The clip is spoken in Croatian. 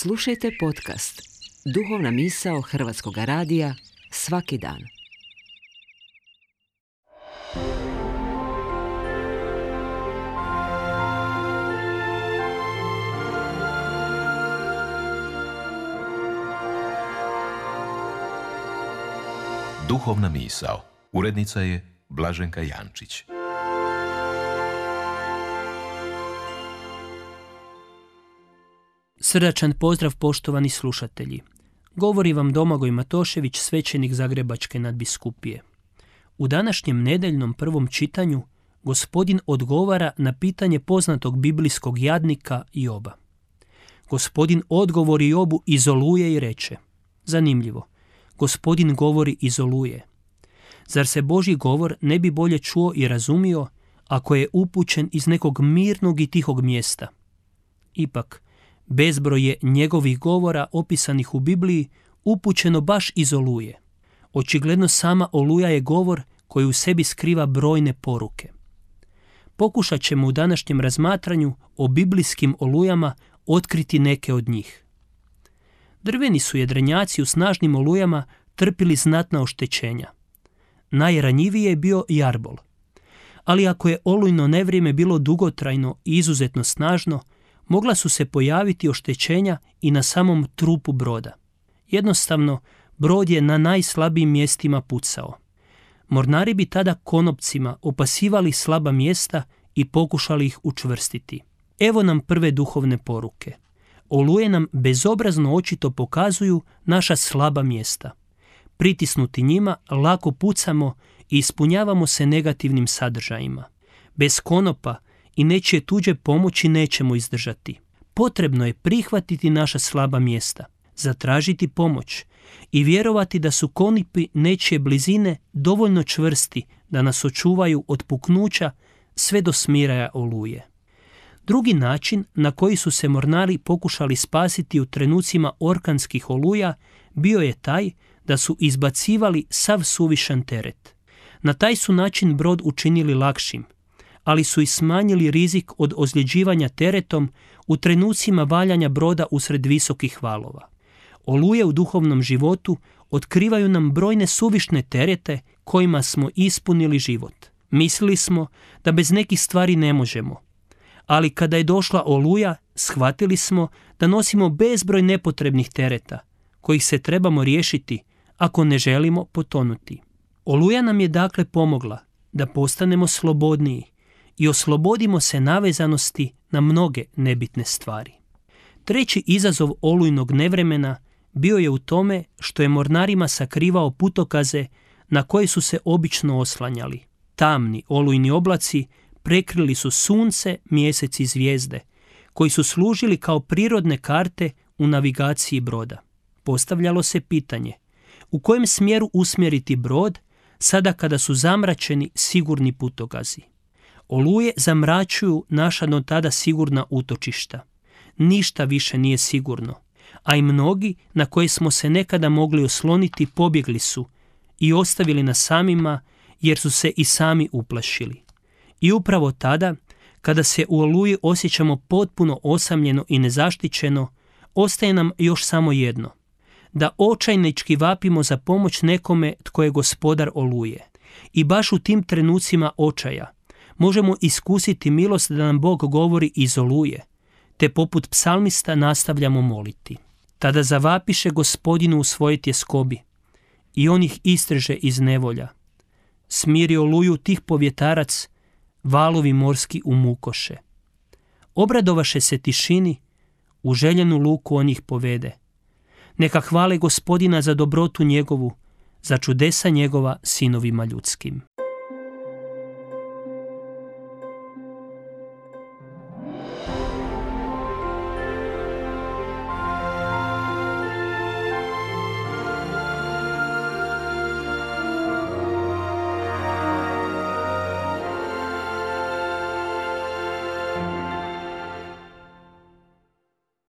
Slušajte podcast Duhovna misao Hrvatskog radija svaki dan. Duhovna misao. Urednica je Blaženka Jančić. Srdačan pozdrav, poštovani slušatelji. Govori vam Domagoj Matošević, svećenik Zagrebačke nadbiskupije. U današnjem nedeljnom prvom čitanju Gospodin odgovara na pitanje poznatog biblijskog jadnika Joba. Gospodin odgovori Jobu iz oluje i reče: zanimljivo, Gospodin govori iz oluje. Zar se Božji govor ne bi bolje čuo i razumio ako je upućen iz nekog mirnog i tihog mjesta? Ipak, bezbroj je njegovih govora opisanih u Bibliji upućeno baš iz oluje. Očigledno sama oluja je govor koji u sebi skriva brojne poruke. Pokušat ćemo u današnjem razmatranju o biblijskim olujama otkriti neke od njih. Drveni su jedrenjaci u snažnim olujama trpili znatna oštećenja. Najranjiviji je bio jarbol. Ali ako je olujno nevrijeme bilo dugotrajno i izuzetno snažno, mogla su se pojaviti oštećenja i na samom trupu broda. Jednostavno, brod je na najslabijim mjestima pucao. Mornari bi tada konopcima opasivali slaba mjesta i pokušali ih učvrstiti. Evo nam prve duhovne poruke. Oluje nam bezobrazno očito pokazuju naša slaba mjesta. Pritisnuti njima lako pucamo i ispunjavamo se negativnim sadržajima. Bez konopa i nečije tuđe pomoći nećemo izdržati. Potrebno je prihvatiti naša slaba mjesta, zatražiti pomoć i vjerovati da su konipi nečije blizine dovoljno čvrsti da nas očuvaju od puknuća sve do smiraja oluje. Drugi način na koji su se mornari pokušali spasiti u trenucima orkanskih oluja bio je taj da su izbacivali sav suvišan teret. Na taj su način brod učinili lakšim, ali su i smanjili rizik od ozljeđivanja teretom u trenucima valjanja broda usred visokih valova. Oluje u duhovnom životu otkrivaju nam brojne suvišne terete kojima smo ispunili život. Mislili smo da bez nekih stvari ne možemo, ali kada je došla oluja, shvatili smo da nosimo bezbroj nepotrebnih tereta, kojih se trebamo riješiti ako ne želimo potonuti. Oluja nam je dakle pomogla da postanemo slobodniji i oslobodimo se navezanosti na mnoge nebitne stvari. Treći izazov olujnog nevremena bio je u tome što je mornarima sakrivao putokaze na koje su se obično oslanjali. Tamni olujni oblaci prekrili su sunce, mjesec i zvijezde, koji su služili kao prirodne karte u navigaciji broda. Postavljalo se pitanje, u kojem smjeru usmjeriti brod sada kada su zamračeni sigurni putokazi? Oluje zamračuju naša do tada sigurna utočišta. Ništa više nije sigurno, a i mnogi na koje smo se nekada mogli osloniti pobjegli su i ostavili nas samima jer su se i sami uplašili. I upravo tada, kada se u oluji osjećamo potpuno osamljeno i nezaštićeno, ostaje nam još samo jedno: da očajnički vapimo za pomoć nekome tko je gospodar oluje. I baš u tim trenucima očaja možemo iskusiti milost da nam Bog govori iz oluje, te poput psalmista nastavljamo moliti. Tada zavapiše Gospodinu u svojoj tjeskobi i on ih istreže iz nevolja. Smiri oluju tih povjetarac, valovi morski umukoše. Obradovaše se tišini, u željenu luku on ih povede. Neka hvale Gospodina za dobrotu njegovu, za čudesa njegova sinovima ljudskim.